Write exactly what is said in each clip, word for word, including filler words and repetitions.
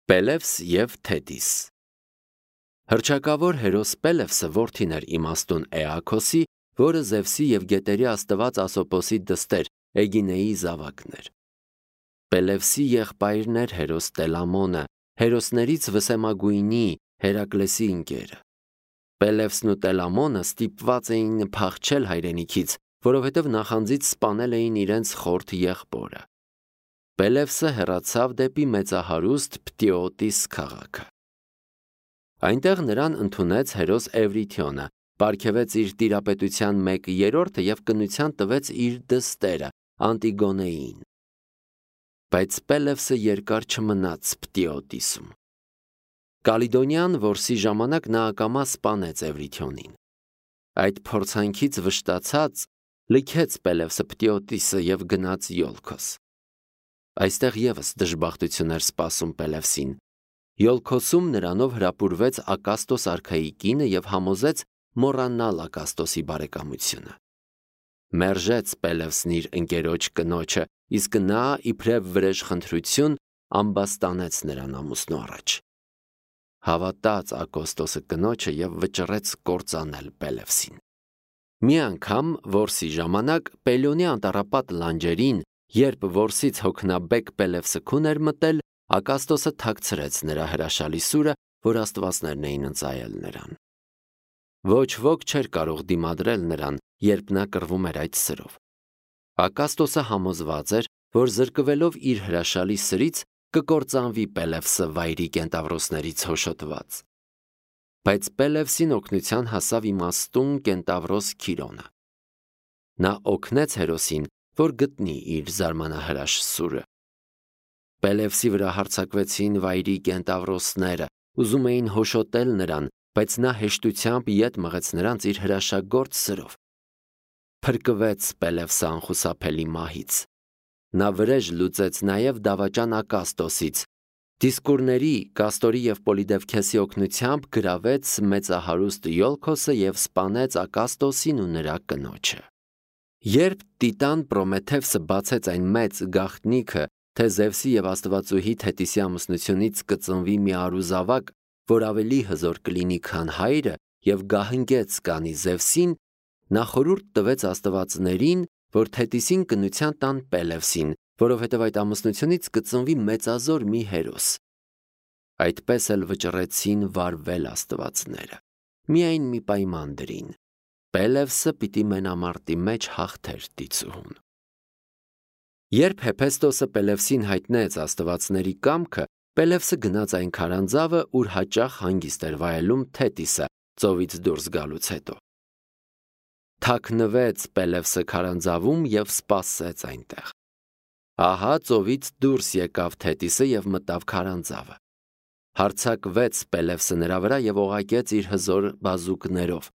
Պելևս և Թետիս։ Հռչակավոր հերոս Պելևսը որդին էր իմաստուն Էաքոսի, որը Զևսի և գետերի աստված Ասոպոսի դստեր Էգինեի զավակն էր։ Պելևսի եղբայրն էր հերոս Տելամոնը, հերոսներից վսեմագույնի Հերակլեսի ընկերը։ Պելևսն ու Տելամոնը ստիպված էին փախչել հայրենիքից, որովհետև նախանձից սպանել էին իրենց խորթ եղբորը։ Պելևսը հեռացավ դեպի մեծահարուստ Պտիոտիս քաղաքը։ Այնտեղ նրան ընդունեց հերոս Էվրիթիոնը, պարգևեց իր տիրապետության մեկ երրորդը և կնության տվեց իր դստերը Անտիգոնեին։ Բայց Պելևսը երկար չմնաց Պտիոտիսում։ Կալիդոնյան որսի ժամանակ նա ակամա սպանեց Էվրիթիոնին։ Այդ փորձանքից վշտացած լքեց Պելևսը Պտիոտիսը և գնաց Յոլքոս։ Այստեղ ևս դժբախտություն էր սպասում Պելևսին։ Յոլքոսում նրանով հրապուրվեց Ակաստոս արքայի կինը և համոզեց մոռանալ Ակաստոսի բարեկամությունը։ Մերժեց Պելևսն իր ընկերոջ կնոջը, իսկ նա իբրև վրեժխնդրություն ամբաստանեց նրան ամուսնու առաջ։ Հավատաց Ակաստոսը կնոջը և վճռեց կործանել Պելևսին։ Մի անգամ որսի ժամանակ Պելիոնի անտառապատ լանջերին, երբ որսից հոգնաբեկ Պելևսը քուն էր մտել, Ակաստոսը թաքցրեց նրա հրաշալի սուրը, որ աստվածներն էին ընծայել նրան։ Ոչ ոք չէր կարող դիմադրել նրան, երբ նա կռվում էր այդ սրով։ Ակաստոսը համոզված էր, որ զրկվելով իր հրաշալի սրից կկործանվի Պելևսը վայրի կենտավրոսներից հոշոտված։ Բայց Պելևսին օգնության հասավ իմաստուն կենտավրոս Քիրոնը։ Նա օգնեց հերոսին, որ գտնի իր զարմանահրաշ սուրը։ Պելևսի վրա հարձակվեցին վայրի կենտավրոսները, ուզում էին հոշոտել նրան, բայց նա հեշտությամբ ետ մղեց նրանց իր հրաշագործ սրով։ Փրկվեց Պելևսը անխուսափելի մահից։ Նա վրեժ լուծեց նաև դավաճան Ակաստոսից, դիսկուրների, Կաստորի և Պոլիդևքեսի օգնությամբ գրավեց մեծահարուստ Յոլքոսը և սպանեց Ակաստոսին ու նրա կնոջը։ Երբ Տիտան Պրոմեթևսը բացեց այն մեծ գաղտնիքը, թե Զևսի և աստվածուհի Թետիսի ամուսնությունից կծնվի մի արուզավակ, որ ավելի հզոր կլինի, քան հայրը, և գահնգեց կանի Զևսին, նա խորհուրդ տվեց աստվածներին, որ Թետիսին կնության տան Պելևսին, որովհետև այդ ամուսնությունից կծնվի մեծազոր մի հերոս։ Այդպես էլ վճռեցին վարվել աստվածները։ Միայն մի պայման դրին. Պելևսը պիտի մենամարտի մեջ հաղթեր դիցուհուն։ Երբ Հեփեստոսը Պելևսին հայտնեց աստվածների կամքը, Պելևսը գնաց այն քարանձավը, ուր հաճախ հանգիստ էր վայելում Թետիսը ծովից դուրս գալուց հետո։ Թաքնվեց Պելևսը քարանձավում և սպասեց այնտեղ։ Ահա ծովից դուրս եկավ Թետիսը և մտավ քարանձավը։ Հարձակվեց Պելևսը նրա վրա և օղակեց իր հզոր բազուկներով։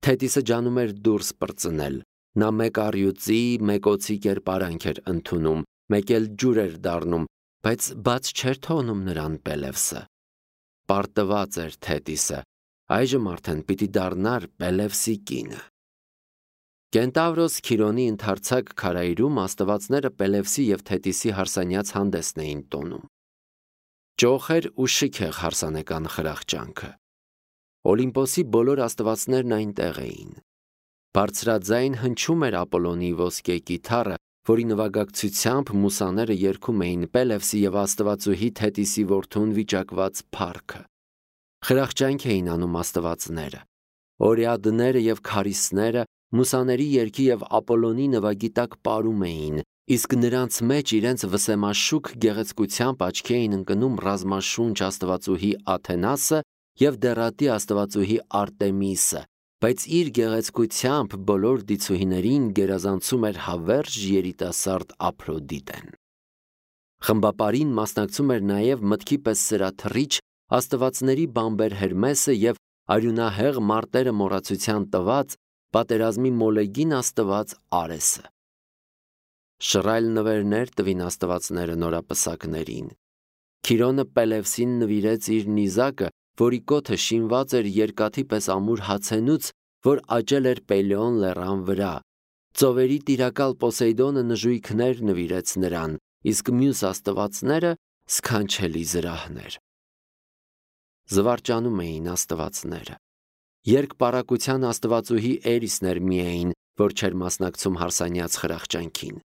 Թետիսը ջանում էր դուրս պրծնել։ Նա մեկ առյուծի, մեկ օձի կերպարանք էր ընդունում, մեկ էլ ջուր էր դառնում, բայց բաց չէր թողնում նրան Պելևսը։ Պարտված էր Թետիսը, այժմ արդեն պիտի դառնար Պելևսի կինը։ Կենտավրոս Քիրոնի ընդարձակ քարայրում աստվածները Պելևսի և Թետիսի հարսանյաց հանդեսն էին տոնում։ Ճոխ էր ու շքեղ հարսանեկան խրախճանքը։ Օլիմպոսի բոլոր աստվածներն այնտեղ էին։ Բարձրաձայն հնչում էր Ապոլոնի ոսկե կիթառը, որի նվագակցությամբ մուսաները երգում էին Պելևսի և աստվածուհի Թետիսի որդուն վիճակված փառքը։ Խրախճանք էին անում աստվածները։ Օրիադները և քարիսները մուսաների երգի և Ապոլոնի նվագի տակ պարում էին, իսկ նրանց մեջ իրենց վսեմաշուք գեղեցկությամբ աչքի էին ընկնում ռազմաշունչ աստվածուհի Աթենասը և դեռատի աստվածուհի Արտեմիսը, բայց իր գեղեցկությամբ բոլոր դիցուհիներին գերազանցում էր հավերժ երիտասարդ Ափրոդիտեն։ Խմբապարին մասնակցում էր նաև մտքի պես սրաթռիչ աստվածների բամբեր Հերմեսը և արյունահեղ մարտերը մոռացության տված պատերազմի մոլեգին աստված Արեսը։ Շռայլ նվերներ տվին աստվածները նորապսակներին։ Քիրոնը Պելևսին նվիրեց իր նիզակը, որի կոթը շինված էր երկաթի պես ամուր հացենուց, որ աճել էր Պելեոն լեռան վրա։ Ծովերի տիրակալ Պոսեյդոնը նժույգներ նվիրեց նրան, իսկ մյուս աստվածները սքանչելի զրահներ։ զվարճանում էին աստվածները։ Երկպարակության աստվածուհի Էրիսն էր միայն, որ չէր մասնակցում հարսանյաց խրախճանքին։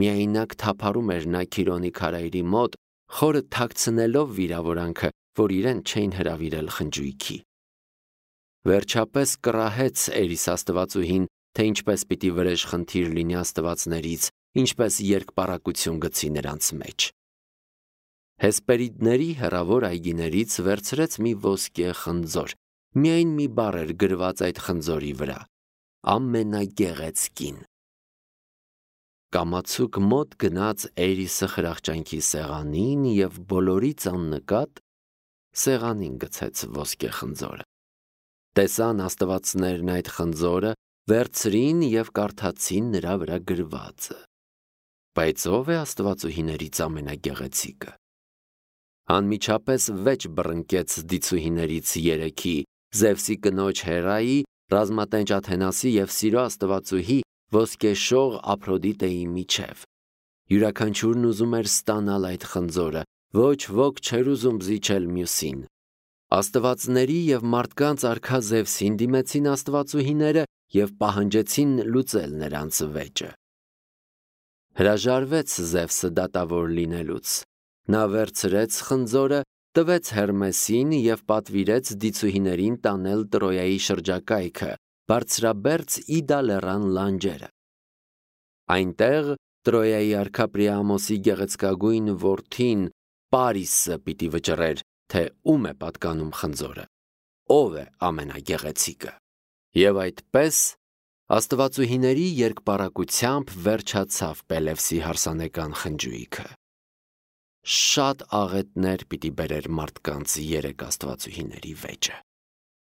Միայնակ թափառում էր նա Քիրոնի քարայրի մոտ, խորը թաքցնելով վիրավորանքը, որ իրեն չէին հրավիրել խնջույքի։ Վերջապես կռահեց Էրիս աստվածուհին, թե ինչպես պիտի վրեժ խնդիր լինի աստվածներից, ինչպես երկպարակություն գցի նրանց մեջ։ Հեսպերիդների հեռավոր այգիներից վերցրեց մի ոսկե խնձոր, միայն մի բառ էր գրված այդ խնձորի վրա՝ ամենագեղեցկին։ Կամացուկ մոտ գնաց Էրիսը խրախճանքի սեղանին և բոլորից աննկատ սեղանին գցեց ոսկե խնձորը։ Տեսան աստվածներն այդ խնձորը, վերցրին և կարդացին նրա վրա գրվածը։ Բայց ո՞վ է աստվածուհիներից ամենագեղեցիկը։ Անմիջապես վեճ բռնկեց դիցուհիներից երեքի՝ Զևսի կնոջ Հերայի, ռազմատենչ Աթենասի և սիրո աստվածուհի ոսկեշող Ափրոդիտեի միջև։ Յուրաքանչյուրն ուզում էր ստանալ այդ խնձորը, ոչ ոք չէր ուզում զիջել մյուսին։ Աստվածների և մարդկանց արքա Զևսին դիմեցին աստվածուհիները և պահանջեցին լուծել նրանց վեճը։ Հրաժարվեց Զևսը դատավոր լինելուց։ Նա վերցրեց խնձորը, տվեց Հերմեսին և պատվիրեց դիցուհիներին տանել Տրոյայի շրջակայքը, բարձրաբերձ Իդա լեռան լանջերը։ Այնտեղ Տրոյայի արքա Պրիամոսի գեղեցկագույն որդին Պարիսը պիտի վճռեր, թե ում է պատկանում խնձորը, ով է ամենագեղեցիկը։ Եվ այդպես աստվածուհիների երկպարակությամբ վերջացավ Պելևսի հարսանեկան խնջույքը։ Շատ աղետներ պիտի բերեր մարդկանց երեք աստվածուհիների վեճը։